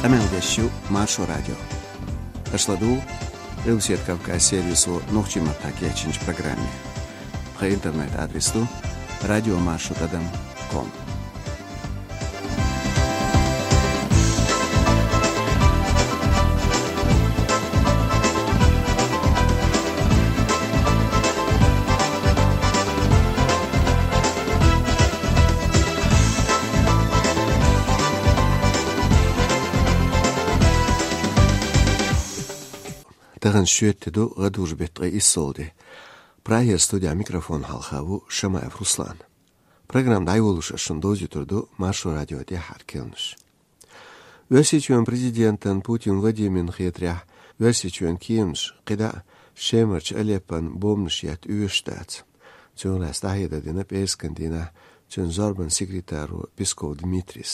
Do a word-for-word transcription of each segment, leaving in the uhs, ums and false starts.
Къамел деш ю Маршо радио. Аша ладугӀу Къилбаседа Кавказ сервисо нохчийн маттахь кечйинчу программе. Тхан интернет-адрес ду радиомаршо тӀадам ком. Тахана шоьтан де ду, гӀадужу беттан ткъе иссалгӀа де. Прагера студехь микрофон хьалха ву Шамаев Руслан. Программа дӀайолош ас шуна довзуьйтур ду Маршо радион тӀаьххьара керланаш. Оьрсийчоьнан президентан Путин Владимиран хетарехь, Оьрсийчоьнан кеманаш кхидӀа а Шемарчу Алеппон бомбанаш етта оьшуш дац. Цунах лаьцна дӀахьедар дина пӀераскан дийнахь цуьнан зорбанан секретаро Песков Дмитрийс.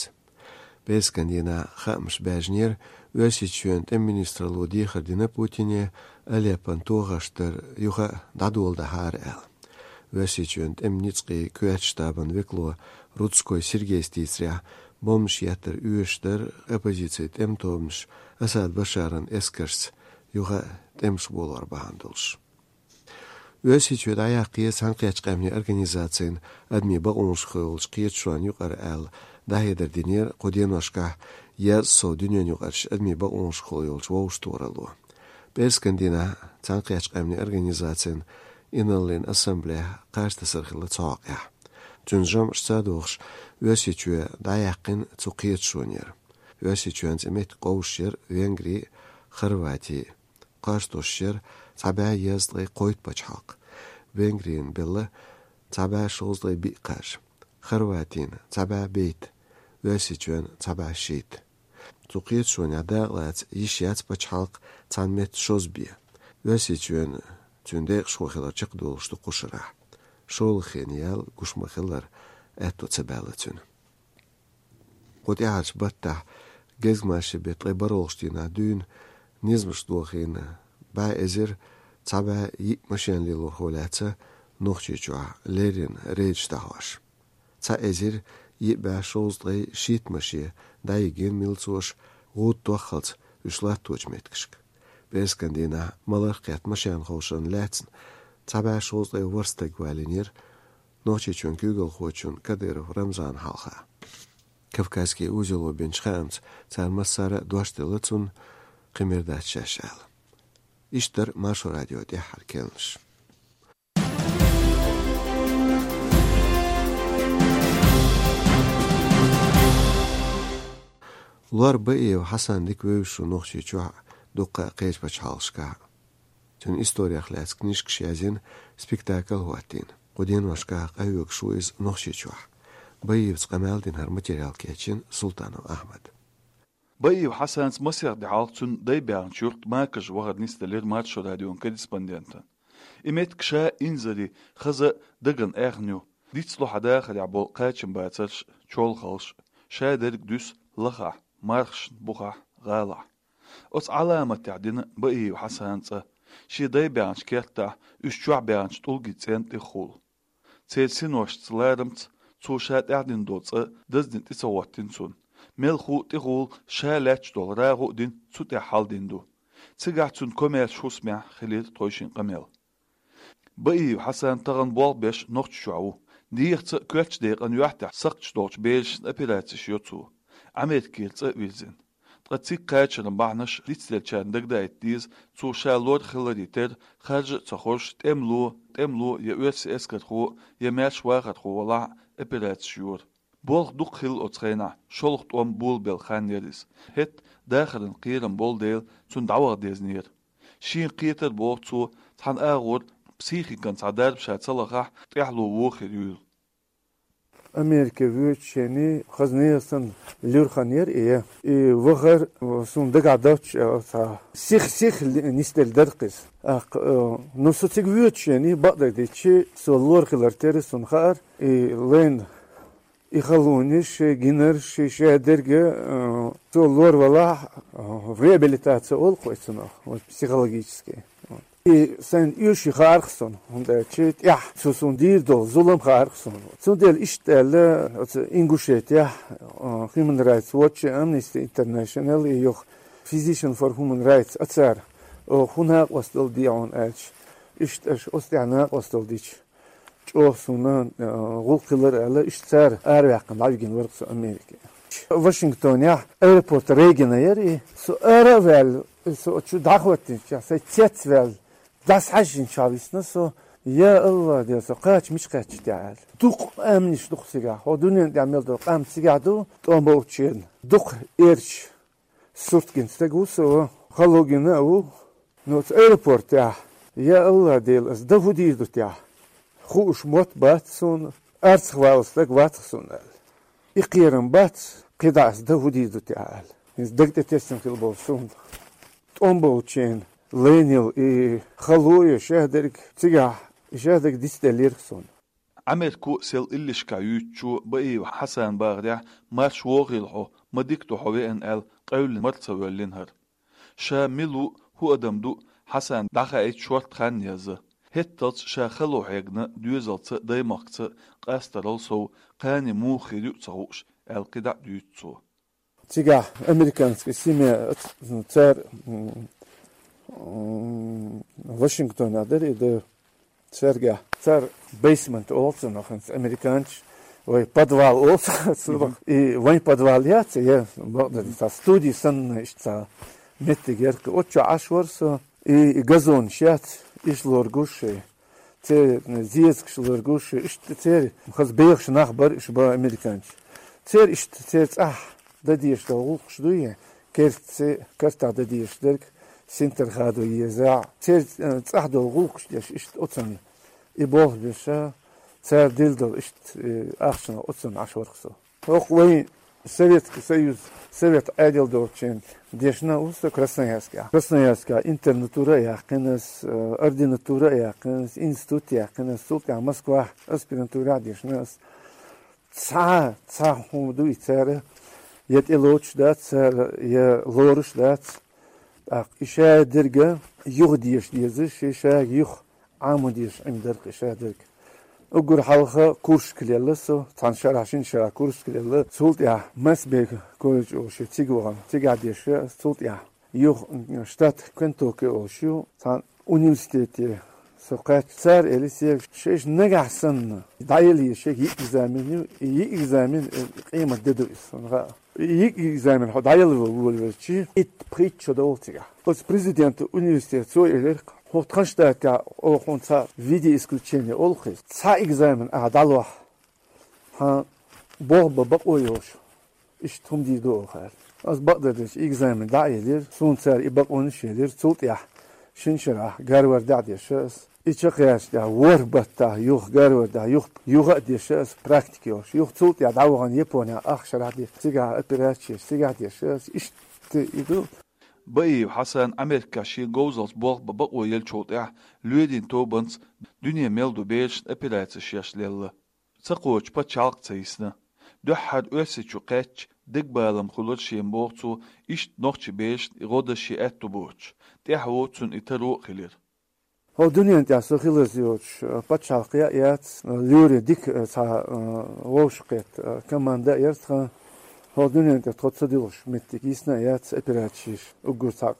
ПӀераскан дийнахь хаамаш баьржинера, Оьрсийчоьнан тӀеман министралло дехар дина Путине, Алеппон тохарш дар юха а дӀадоладахьара аьлла. Оьрсийчоьнан тӀеман ницкъийн коьртачу штабан векало Рудской Сергейс дийцарехь, бомбанаш еттар оьшуш дара оппозицин тӀеман тобанаш Асад Башаран эскаршца юха а тӀемаш болор бахьана долуш. Оьрсийчоь дӀаяккхае Цхьаьнакхеттачу Къаьмнийн Организацин адамийн бакъонашкахула йолчу кхеташонна юкъара аьлла, дӀахьедар динера кху деношкахь еза сов дуьненаюкъарчу адамийн бакъонашкахула йолчу вовшахтохаралло. ПӀераскан дийнахь Цхьаьнакхеттачу Къаьмнийн Организацин инарлин ассамблехь кхаж тасар хилла цу хьокъехь. Цуьнан жамӀашца а догӀуш, Оьрсийчоь дӀаяьккхина цу кхеташонера. Оьрсийчоьнца и меттиг къовсуш яра Венгри, Хорвати. Кхаж тосуш яра цхьа бӀе езткъе кхойтта пачхьалкх. Венгрина белла цхьа бӀе шовзткъе биъ кхаж, Хорватина цхьа бӀе бейтта, Оьрсийчоьнна цхьа бӀе шийтта. Цу кхеташонехь дакъалаца йиш яц пачхьалкх цхьана метта шозза бен. Оьрсийчоьнан цуьнан декъашхо хилар чекхдолуш ду кху шарахь. ШолгӀа хенан ял гуш ма-хиллара, аьтто ца баьлла цуьнан. Кху тӀаьхьарчу баттахь, гезгмашин беттан ткъе бархӀалгӀачу дийнахь дуьйна низамаш дохийна бӀе эзар цхьа бӀе йиъ машен лелорхо лаьцна Нохчийчохь леррина рейдаш дӀахьош. Цхьа эзар йиъ бӀе шовзткъе шийтта машен дӀайигна милцоша гӀуда тоххалц уьш латточу меттигашка. ПӀераскан дийнахь маларх кхетта машен ховшарна лаьцна цхьа бӀе шовзткъе ворхӀ стаг валийнера Нохчийчоьнан куьйгалхочун Кадыров Рамзанан хьалха. Кавказский узело бинчу хаамца, цара массара а дош делла цунна, кхин мер дац шаьш аьлла. Иштта дара Маршо радион тӀаьххьара керланаш. Лор Баиев Хьасан дика вевзаш ву Нохчийчохь а, дуккха а кхечу пачхьалкхашкахь а. Цуьнан историях лаьцна книжкаш язйина, спектакль а хӀоттийна. Кху деношкахь къахьоьгуш ву иза Нохчийчохь. Баиевца къамел дина, хӀара материал кечйина Султанов Ахьмада. Баиев Хьасанца масех де хьалха цуьнан дай баьхначу юьрта Макаже вахар нисделира Маршо радион корреспондентана. И меттиг ша инзаре, хаза а дагна аьхна ю. Дицло хьан дахарехь болу кхачамбацарш, чолхалш, шадерг а дуьсу лахахь, мархашна бухахь, гӀалахь. Оцу Ӏаламатехь дина Баиев Хьасана цӀа. Шен дай баьхначу кертахь, уьш чохь баьхначу тӀулгийн цӀенна тӀехула. Церан синошца, ларамца цо ша тӀаьхьадина долу цӀа даздина тӀе ца хӀоттийна цунна. Мелхо а, тӀехула ша лаьтташ долу рагӀу а дина, цу тӀехь хьалдина ду. Цигахь цуьнан комаьрша хӀусамехь хилира тхойшинна къамел. Баиев Хьасан тахана болх беш Нохчийчохь ву. Дехаца а, коьртачу декъана юьхь тӀехь сакхташ долчу берашна операцеш йо цо. Америкера цӀа а вирзина. Ткъа цига кхачаран бахьанаш дицделлачарна дагадаийта деза, цо ша лор хиларе терра, харжа а ца хоржуш, тӀемало, тӀемало я оьрсийн эскархо, я маьрша вахархо валахь а, операцеш йора. Болх дукха хилла оцу хенахь, шолгӀа тӀом болабелла хан яра иза. ХӀетахь дахаран кхерам болу дела, цунна дӀаваха дезнера. Шена кхетар, боху цо, цхьана агӀор психикан цхьа дарба ша ца лахахь, тӀаьхьало вон хир юйла. Америке воьдучу хенахь хаза нехан санна луьра хан яра и. И вахар, э, суна дагахь доцуш, э, цхьа сих-сих нисделла дара-кх иза. ТӀаккха, э, ну, со цига воьдучу хенахь, бакъдерг дийцича, со лор хилар терра суна хаьара, и лайна и халонаш, и гинарш, и шадерг, э, цо лор валахь, э, реабилитация олу-кх вай цунах, вот, психологический. Вот. И сайн оьший хаарх сона, хӀунда аьлча тӀехь цо суна дийр долу зулам хаарх сона. Цундела иштта аьлла, оцу Ингушетехь, а, Human Rights Watch, Amnesty International, и юха Physician for Human Rights, а цара, о, хӀун накъосталла дийр ду аьлча, иштта аша оцу тӀехь накъосталла дича, чӀогӀа суна, а, гӀуллакх хилар аьлла, иштта цара араваьккхина дӀавигина вара со Америке. Вашингтонехь аэропорт Рейгана яра и. Со ара а ваьлла, со чу дӀахӀоттийначохь, сайн цец ваьлла, дӀасахьаьжжинчохь висна со, я АллахӀ, дела, со кхача мича кхаьчча те аьлла. Дукха къаьмнаш ду-кх цигахь, хӀокху дуьненна тӀехь мел долу къам цигахь ду, тӀом болчарна. Дукха эрча, сурт гина стаг ву со, хало гина а ву. Ну, оцу аэропортехь, я АллахӀ, дела, ас дан хӀун дийр ду те? Хууш мотт бац суна, арцахь валла стаг вац-кх суна аьлла. И кхерам бац, кхидӀа ас дан хӀун дийр ду те аьлла. ХӀинца даг тӀе тесна хилла болу суна. ТӀом болчарна лайнал и хало я шадерг цигахь, и шадерг дицделлера-кх суна. Ӏамерко сел иллешкахь юьйцучо Баиев Хьасана бахарехь, марш вогӀийла хьо, ма дика ду хьо веана аьлла, къевлина мара ца воьллина хӀара. Ша мила ву, хӀун адам ду, Хьасана дӀахаийта шортта хан язза. ХӀетталц ша хало хьегна доьзалца а, даймахкаца а, къастарал сов, кхане муха хир ю а ца хууш, аьлла кхидӀа а дуьйцу цо. Цигахь американский семья, цара, м, м, Вашингтонехь дара и дан. Цаьргахь, цара basement олу цунах, хӀинца американцаша вайн подвал олу цунах. И вайн подвал яц, я, бакъдерг, цхьа студи санна, иштта цхьа меттиг яра-кх. Оцу чохь Ӏаш вара со, и, и газонаш яц, иш лоргуш шайн. Церан зезагаш лоргуш шайн, иштта церан хаза бехаш нах бара, иш бан американцаш. Церан иштта, церан цӀахь дан дезаш долу гӀуллакхаш дуй, кертаца, картахь дан дезаш дерг, синтар хадо еза. Церан, э, цӀахь долу гӀуллакхаш деш, иштта оцунна и болх беш, цара дилла долу иштта, э, ахчанах оцунна Ӏаш вара-кх со. ХӀокху вайн Советский Союз, Совет Ӏедал долчарна дешна а ву со Красноярскехь. Красноярскехь интернатура а яьккхина ас, э, ординатура а яьккхина ас, институт а яьккхина ас, цул тӀаьхьа Москвахь аспирантура а дешна ас. Цхьа, цхьа хӀума дуй цара, я тӀелоцуш дац цара, я лоруш дац. ТӀаккха и шадерг юха деша дезаш, и шадерг юха Ӏамо дезаш Ӏийна дара-кх и шадерг. Уггар хьалха курсашка лелла со, цхьана шарахь, шина шарахь курсашка лелла. Цул тӀаьхьа Масбек колледж олуш ю цига вахана, цигахь деша ас, цул тӀаьхьа юха штат Кентукки олуш ю, цхьана университете со кхаьчча, цара элира соьга, шайша нагахь санна дӀаелла еза шайга йиъ экзамен ю, и йиъ экзамен, э, къемат де ду иза, суна хаьа. И йиъ экзамен хьо дӀаелла волавелча, итт-пхийтта шо довла цигахь. Оцу президента университета цо элира, хӀокху тхан штатехь оха хьуна цхьа в виде исключения олу-кх иза. Цхьа экзамен ахь дӀалохь, хьан болх бан бакъо йолуш, иштта хӀума дийр ду оха аьлла. Ас бакъдерг дерг экзамен дӀа а елира, суна цара и бакъонаш а елира, цул тӀаьхьа шина шарахь Гарвардехь а деша ас. И чекхъяьлча тӀаьхьа ворхӀ баттахь юха Гарвардехь юха, юха а деша ас практика йолуш. Юха цул тӀаьхьа дӀавахана Японехь ах шарахь деша, цигахь операцеш, цигахь деша ас, иштта и ду. Баиев Хьасан Америкехь шен говзаллица болх бан бакъо еллачул тӀаьхьа лоьрийн тобанца дуьне мел долу берашна операцеш еш лелла. Ца кхочу пачхьалкх ца йисна. Дуьххьара Оьрсийчу кхаьчча, дегабалам хуьлура шена, боху цо, иштта нохчийн берашна и гӀо дан шен аьтто боцуш. ТӀаьхьо цунна и таро а хилира. ХӀокху дуьненна тӀехь со хиларца йоцуш, э, пачхьалкх яц, э, лоьрийн дика, э, цхьа, э, вовшахкхетта, э, команда а яра тхан. ХӀокху дуьненна тӀехь тхо ца дуьллуш меттиг йисна а яц операцеш, уггар цхьа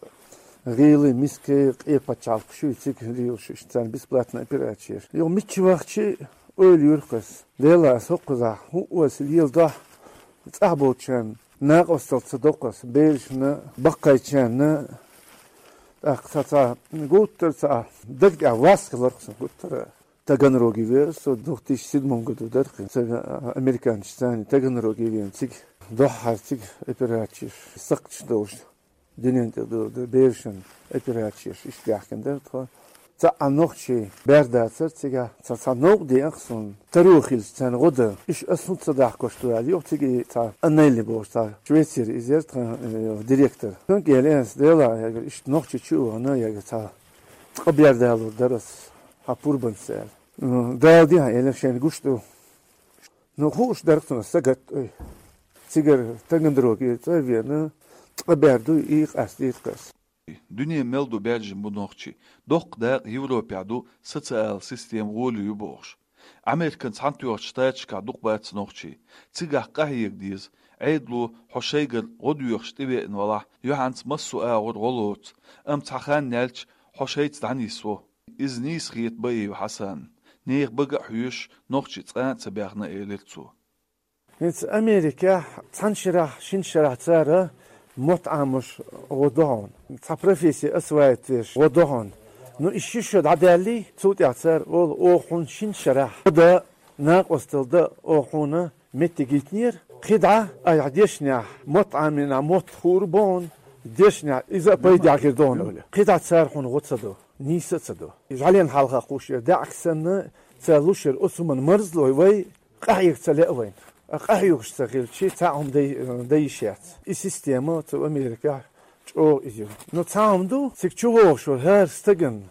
гӀийла, миска, къен пачхьалкхаш ю, цига лелаш, иштта царна бесплатно операцеш. Юха мичча вахча а ойла юьру-кх ас. Делахь ас хӀокхузахь хӀун оьшу, леладохь, цӀахь болчарна накъосталла ца до-кх ас, берашна, баккхийчарна. ТӀаккха цхьа, цхьа гуттар а цхьа даг тӀехь вас хилар-кх сан гуттар а. Таганроге веара со, две тысячи седьмом году дара-кх, ца, американцашца Таганроге веана, цига дуьххьара цига операцеш, сакхташ долуш. Дуьненна тӀе ду, ду, берашна операцеш иштта баьхкина дара тхо. Цхьа а нохчий бер дацара цигахь, цхьа, цхьа новкъа деана-кх суна, таро хилча царна гӀо дан. Иштта ас хӀунда ца дахкош ду аьлла, юха цига и цхьа Аннели бохуш цхьа Швецера иза яра тхан, э, директор. Цуьнга элира ас, делахь, ягар, иштта нохчий чу а вахана, ягар, цхьа ткъа бер далур дара ас хьан пурбанца аьлла. М, Дала дехьа, элира, шайна гуш ду. Ну, хууш дара-кх цунах сагатта, ой. Цигара Таганроге цӀа а веана, ткъа бер дуй, и къастийра-кх ас. Дуьне мел ду баьржина бу нохчий. Доккха дакъа Европехь ду, социал система гӀоли ю бохуш. Американ Цхьаьнатоьхначу Штаташкахь дукха бац нохчий. Цигахь къахьега деза. Ӏедало хьо шайгара гӀо доьхуш тӀевеана валахь, юьхьанца массо а агӀор гӀо лоцу, амма цхьа хан яьлча хьо шайца дӀанисво. Иза нийса хета Баиев Хьасанна. Нехан бага а хьоьшуш, нохчий цкъа а ца баьхна, элира цо. ХӀинца Америкехь цхьана шарахь, шина шарахь цара мотт Ӏамош гӀо до хьуна. Цхьа профессия осваивать веш гӀо до хьуна. Ну, и ши шо дӀадаьллий, цул тӀаьхьа цара олу: «Оха хьуна шина шарахь гӀо дан, накъосталла дан оха хьуна меттиг йитинера. КхидӀа айхьа дешнехь мотт Ӏамийнехь мотт хуур бу хьуна, дешнехь иза а пайдехь хир ду хьуна», — олу. КхидӀа цара хьуна гӀо ца до, нийса а ца до. Иза жӀаьлен хьалха кхуш яра, даьӀахк санна, ца луш яра оцу хӀуманна марзло вай, къахьега ца лаьа вайна. А къахьоьгуш ца хилча, цхьа а хӀума дай, дай йиш яц. И система цу Америкехь чӀогӀа иза ю. Но цхьа хӀума ду, цига чу вогӀуш волу хӀара стагана,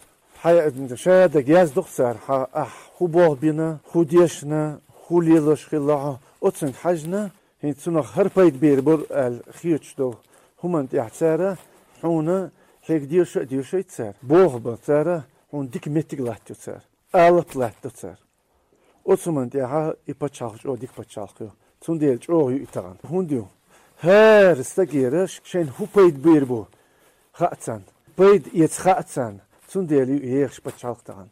хьайн ша даг яздо-кх цара, хьан ахь хӀун болх бина, хӀун дешна, хӀун лелош хилла хьо, оцунга хьаьжна, хӀинца цунах хӀара пайда бийр бара аьлла хеташ долу хӀуманна тӀехь цара хьуна, хьега деша а дешайта цара, болх бан цара, хьуна дика меттиг латтайо цара, алапа латтадо цара. Оцу хӀуманна тӀехь и пачхьалкх чӀогӀа дика пачхьалкх ю. Цундела чӀогӀа ю и тахана. ХӀунда ю? ХӀара стагера шайна хӀун пайда бийр бу хаьа царна. Пайда эца хаьа царна. Цундела ю и ехаш пачхьалкх тахана.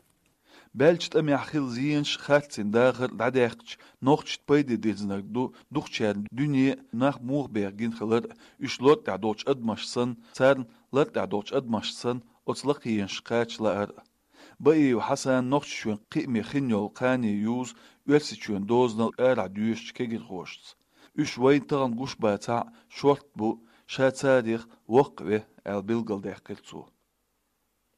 Баьллачу тӀамехь хилла зенаш, харцйина дахар дӀадаьккхича, нохчашна пайде дирзинарг ду дукхачарна дуьне, нах муха беха гина хилар а, уьш лар тӀехь долчу адамаш санна, царна лар тӀехь долчу адамаш санна, оцу лакхенаш кхача лаар а. Баиев Хьасана Нохчийчоьнан кхиаме хин йолу кхане юзу Оьрсийчоьнан дозанал арахь доьшучу кегирхошца. Уьш вайна тахана гуш бацахь а, шортта бу, ша царех воккха ве аьлла билгалдаьккхира цо.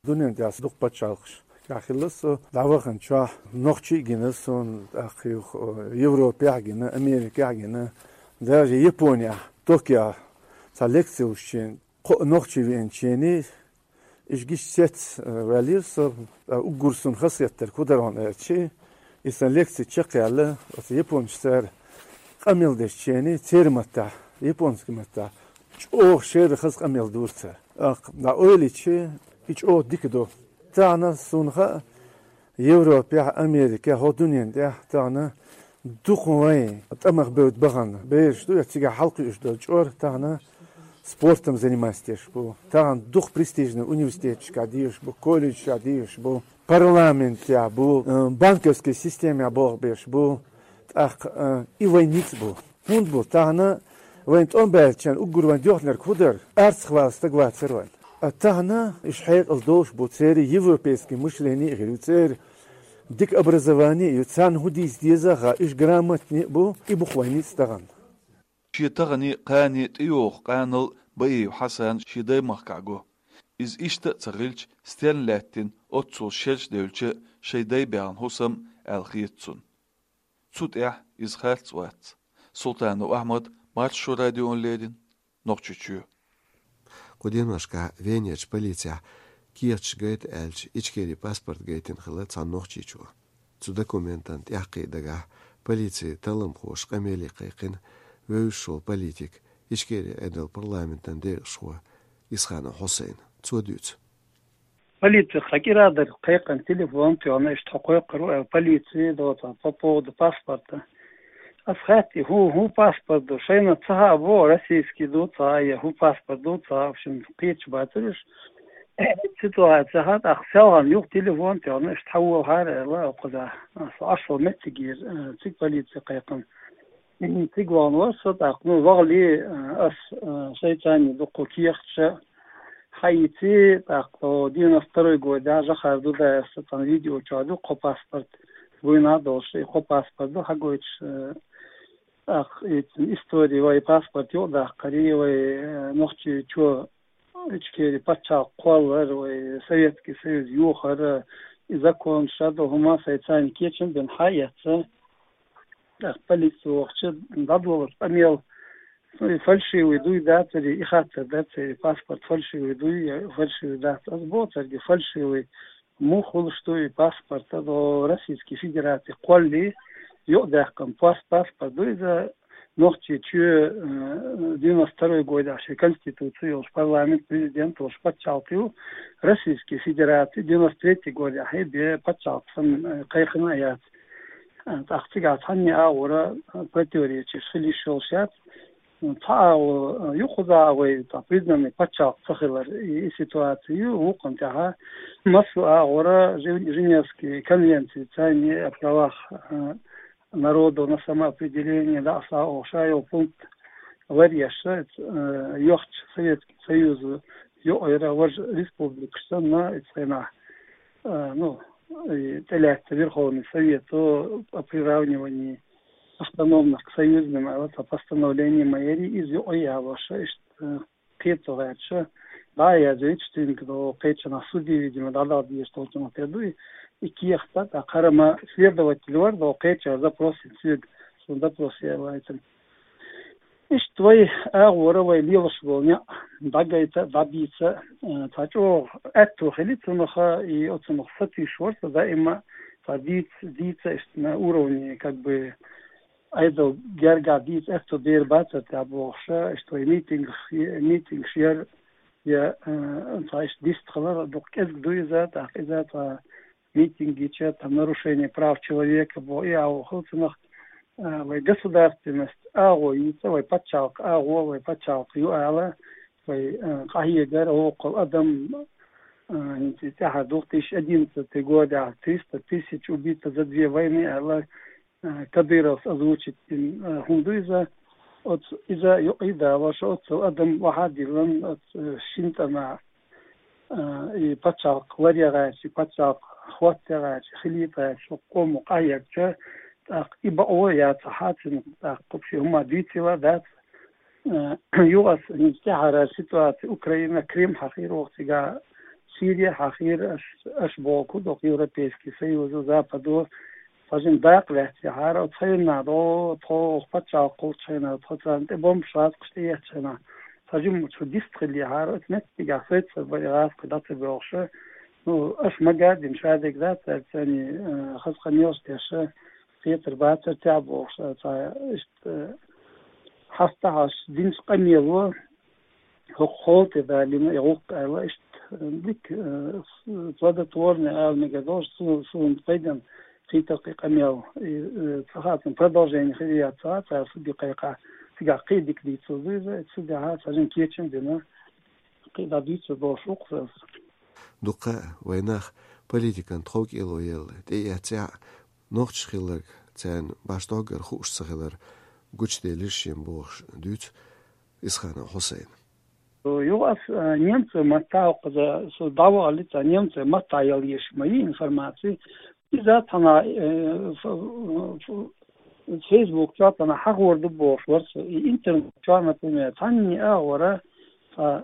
Дуьнен тӀехь дукха пачхьалкхаш тӀехь хилла со, дӀавахана чохь нохчий а гина суна, тӀаккха юха Европехь а гина, Америкехь а гина, даже Японехь, Токио цхьа лекци луш чен, кхо нохчий веанчений, иштта гича цец, э, ваьллера со, ткъа уггар суна хазахеттарг хӀун дара хьуна аьлча, и сан лекци чекхъяьлла, оцу японцаша цара къамел деш чений, церан маттахь, японский маттахь, чӀогӀа шерра хаза къамел дора цара. ТӀаккха дӀаойлича, и чӀогӀа дика ду. Тахана суна хаьа, Европехь, Америкехь, хӀо дуьнен тӀехь тахана дукха вайн тӀамах бевдда бахана бераш ду, я цигахь хьалакхуьуш долу чкъор тахана спортом заниматься деш бу. Тахана дукха престижный университеташкахь дешаш бу, колледжашкахь дешаш бу, парламентехь бу, э, банковский системехь болх беш бу. ТӀаккха, э, и вайн ницкъ бу. ХӀунда бу? Тахана вайн тӀом баьллачарна уггар вайн доьхнарг хӀун дара? Арцахвала стаг вацара вайн. А тахана уьш хьекъал долуш бу, церан европейский мышление а хир ю, церан дика образование а ю, царна хӀун дийца деза а хаьа, уьш грамотный а бу, и бу-кх вайн ницкъ тахана. Шен таханийн, кханийн тӀейогӀу къанал Баиев Хьасана шен даймахкахь го. Иза иштта а ца хилча, стерна лаьттина оццул шераш девлча, шайн дай баьхна хӀусам аьлла хета цунна. Цу тӀехь иза харц вац. Султанов Ахьмад, Маршо радиона леррина, Нохчийчоь. Кху деношкахь Венерчу полицехь кехаташ гайта аьлча, Ичкерин паспорт гайтина хилла цхьана нохчичо. Цу документан тӀаьххье дагахь полицин талламхоша къамеле кхайкхина вевзаш волу политик, Ичкерин Ӏедалан парламентан декъашхо Исханов Хьусайн. Цо дуьйцу. Полици хьан кӀира дара кхайкхина, телефон тоьхна, иштта хьо кхойкхур ву аьлла, полици доцахь по поводу паспорта. Ас хаьттий, хӀун, хӀун паспорт ду? Шайна ца хаьа боху, российский ду цхьа, я хӀун паспорт ду цхьа, в общем, кхеташ бацара уьш. Ситуация хаьа, тӀаккха селхана юха телефон тоьхна, иштта хьан волахьара аьлла, кхузахь. Ас Ӏаш волу меттигера, э, цига полици кхайкхина. Цига вахана вара со, тӀаккха, ну, вахале, э, ас, э, шайца дуккха кехаташ хьаийци, тӀаккха девяносто второй годехь жахар ду, да, аса цхьана видео чохь ду, кхо паспорт вуйна а долуш, и кхо паспорт ду хьагойтуш, э, тӀаккха и истори вай паспорт юкъадаккхари, вай, э, Нохчийчоь Ичкери пачхьалкх кхоллар, вай Советский Союз йохар, и законаш а ду, хӀума сайца кечам бина хьаэцна. ТӀаккха полици вахча, дӀадолалуш къамел, ну, и фальшивый дуй, дацари, и хаттар дацари, паспорт фальшивый дуй, я фальшивый дац. Ас боху цаьрга, фальшивый муха хуьлуш ду и паспорт, ду Российский Федераци кхоллале юкъадаьккхина пас-, паспорт ду иза, Нохчийчоь, э, девяносто второй годехь шен конституци йолуш, парламент, президент волуш пачхьалкх ю, Российский Федераци девяносто третий годехь бен пачхьалкх санна, э, кхайкхина а яц. Э, тӀаккха цигахь цхьанне агӀора, э, противоречиш хила йиш йолуш яц. Цхьа агӀо, э, ю кхузахь вай, цхьа признанный пачхьалкх ца хилар, и, и ситуаци ю, вукхунна тӀехь массо а агӀора Жен-, Женевский конвенци царни о правах, э, народов на самоопределение, да, аса оха йолу пункт ларъеш, э, йохчу Советский Союз йоӀера важа республикаш санна, и цхьанахь, э, ну, и тӀелаьцна Верховный Совето о приравнивании автономных к союзным, а вот о постановлении мэрии, иза йоӀе ялош, иштта, э, кхета гӀерташ, дӀа а язйойтуш цуьнга, до кхечанахь суде, видимо, дӀадала дезаш долчунах тера ду и, и кехат, тӀаккха хӀара ма следователь вара, до кхечара запрос йина соьга, суна запрос яьлла вайцан. Иштта вай агӀора вай лелаш болу некъ дӀагайта, дӀабийца, э, цхьа чӀогӀа аьтто хили цунах, и оцунах сатуьйсуш вара со даима, цхьа дийца, дийца иштта на уровне, как бы, Ӏедал гергахь дийца аьтто бер бацара тӀехь бохуш, иштта вай митингаш, митингаш яр, я, э, цхьа иштта дистхилар, дукха кӀезиг ду иза, тӀаккха иза цхьа митинг гича, там, нарушение прав человека боху, и агӀо хила цунах, э, вай государственность агӀо йийца, вай пачхьалкх агӀо, вай пачхьалкх ю ала, вай, э, къахьегар, воккхул адам, э, хӀинца тӀаьхьа две тысячи одиннадцатый годехь триста тысяч убито за две войны аьлла, э, Кадыровс озвучить дина, э, хӀума ду иза. Оцу иза юкъа далош, оццул адам вахьа а диллина, оцу, э, шина тӀамехь, э, и пачхьалкх ларъян гӀерташ, и пачхьалкх хӀоттаян гӀерташ, хилийта гӀерташ, хӀокху къомо къахьегча, тӀаккха и бакъо яцахь цуьнан, тӀаккха кхуьш хӀума дийцийла дац. Э, юха аса хӀинца тӀаьхьара ситуаци Украина, Крым хьахийра воху цигахь, Сирия хьахийра, аш, аш боху доккха Европейский Союзо, Западо, цхьа жима дакъа лаьцна яхьара, оцу хенахь до, тхо пачхьалкх кхуллучу хенахь, тхо царна тӀе бомбаш гӀазкхаш тӀеэцчу хенахь, цхьа жима чу дистхилла яхьара, оцу меттигахь соьца бара гӀазкхий дӀа ца боьлхуша. Ну, аш ма гадина шадерг дац, цаьрца царний, э, хаза къамелаш деш, кхетар бацара тӀехь бохуш, цхьа иштта, э, хьастахьаш динчу къамело, хӀокху хьола тӀе далийна и гӀуллакх аьлла, иштта, э, дика, э, с-, плодотворный ала мегар долуш, су-, суна пайденна хийтар кхин къамел. И, э, ца хаьа, цуьнан продолжение хир яц ца хаьа, цара суде кхайкхахь, цигахь кхин а дика дийцар ду иза, цу тӀехь цхьа жима кечам а дина, кхин а дӀадуьйцур долуш ву-кх аса. Дукха вайн нах политикан тхов кӀело елла тӀеэццехь, нохчаш хилларг царна башдоггара хууш ца хилар гучуделира шен бохуш дуьйцу Исханов Хьусайна. Юха ас, а, немцойн маттахь, хӀокхуза со дӀавахалли, цхьа немцойн маттахь яла езаш ма йий информаци. Иза цхьана, э, ф-, ф-, Facebook чохь цхьана хьахор ду бохуш вара со. И интернет чохь, например, цхьанне агӀора, а,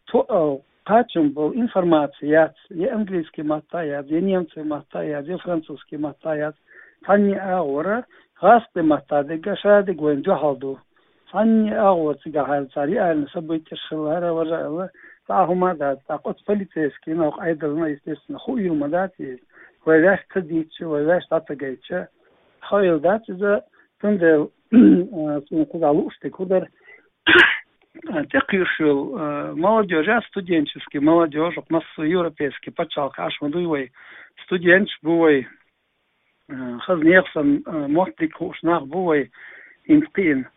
то-, а, кхачам болу информаци яц, я английский маттахь яц, я немцойн маттахь яц, я французский маттахь яц. Цхьанне агӀора гӀазкхийн маттахь дерг а шадерг вайна дуьхьал ду. Цхьанне агӀора цигахь хьаьлла цара реальный событияш хилла, хӀара важа аьлла, цхьа а хӀума а дац. ТӀаккха оцу полицейскийна, хӀокху Ӏедална, естественно, хуийла ма дац иза. Вай ваьш ца дийцча, вай ваьш дӀа ца гайтча, хуийла дац иза, цундела, а, суна кхузахь лууш дерг хӀун дара, а, тӀекхуьуш йолу, а, молодёжь а, студенческий молодёжь, хӀокху массо а европейский пачхьалкхехь ма дуй вай, студенташ бу вай, а, хаза нехан санна, а, мотт дика хууш нах бу вай хӀинца кхиъна.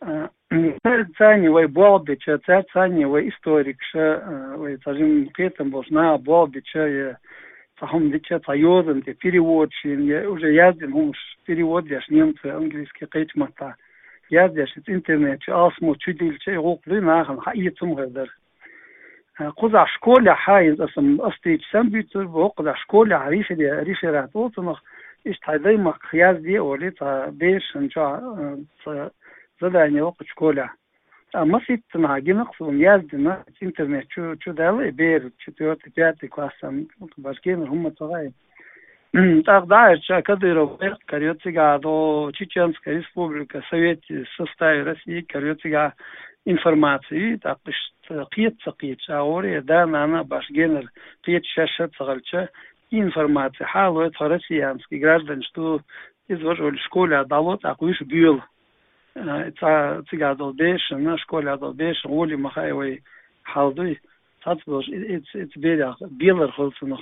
А, цаьрца цхьаьна вай болх бича, цаьрца цхьаьна вай историкаша, а, вай цхьа жима кхетам болуш наха болх бича, я цхьа хӀума дича, цхьа йозанна тӀе переводаш йина, я уже яздина хӀумаш перевод деш, немцойн, английский, кхечу маттахь яздеш, иза интернет чу алсамо чудиллича, и гӀуллакх дуй нахана хьаэца хӀума хир дара. А, кхузахь школехь хьаийна, аса, аса дийцича санна буьйцур бу, кхузахь школехь рефере-, реферат олу цунах, иштта хьайн даймахках язде а олий, цхьа берашна чохь, а, цхьа задание воккхучу школехь. Ткъа маситтанхьа гина-кх суна, яздина, интернет чу, чу даьлла и бер, четвёртый, пятый классан, башгенара хӀумма ца хаьа. ТӀаккха дӀа аьлча, Кадыров гӀерта карайо цигахь, до Чеченская республика, Совете, составе России карайо цигахь информаци, тӀаккха иштта кхета ца кхеташ, а гӀора, я да-нана а башгенара кхета шаьш а ца хилча, и информаци хьалой, тхо россиянский гражданаш ду, иза важа олий школехь дӀало, тӀаккха вуьш боьлу. э, цӀа-, цигахь долу бешана, школехь долу бешана гӀоле ма хаьа вай хьал дуй. Цхьацца долуш и-, иц-, иц берех белар хуьлу цунах.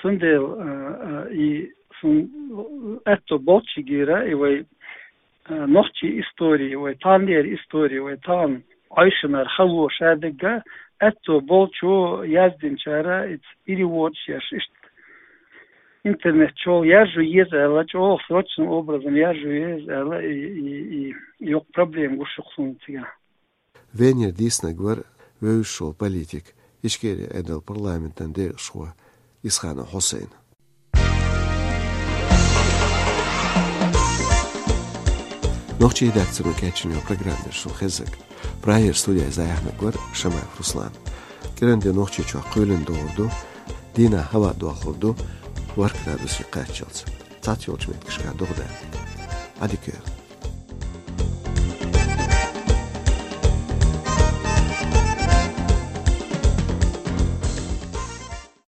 Цундела, э, э, и сун аьтто болчигера, и вай, э, нохчийн истори, вай таханлера истори, вай тахана Ӏойшинара хало ша дагга, аьтто болчо яздинчара иц переводаш еш, иштта интернет чохь яржо еза аьлла, чӀогӀа срочным образом яржо еза аьлла, и, и, и, йоккха проблема гуш ю-кх суна цигахь. Венера дийцинарг вара вевзаш волу политик, Ичкерин Ӏедалан парламентан декъашхо Исханов Хьусайн. Нохчийн редакцино кечйина йолу программа яра шуна хезнарг. Прагера студехь иза яьхнарг вара Шамаев Руслан. КӀиранде Нохчийчохь кхоьлина догӀур ду, дийнахь хӀаваъ дохлур ду ворхӀ градусе кхаччалц. Цхьацца йолчу меттигашкахь догӀа даьлла. Ӏадика йойла.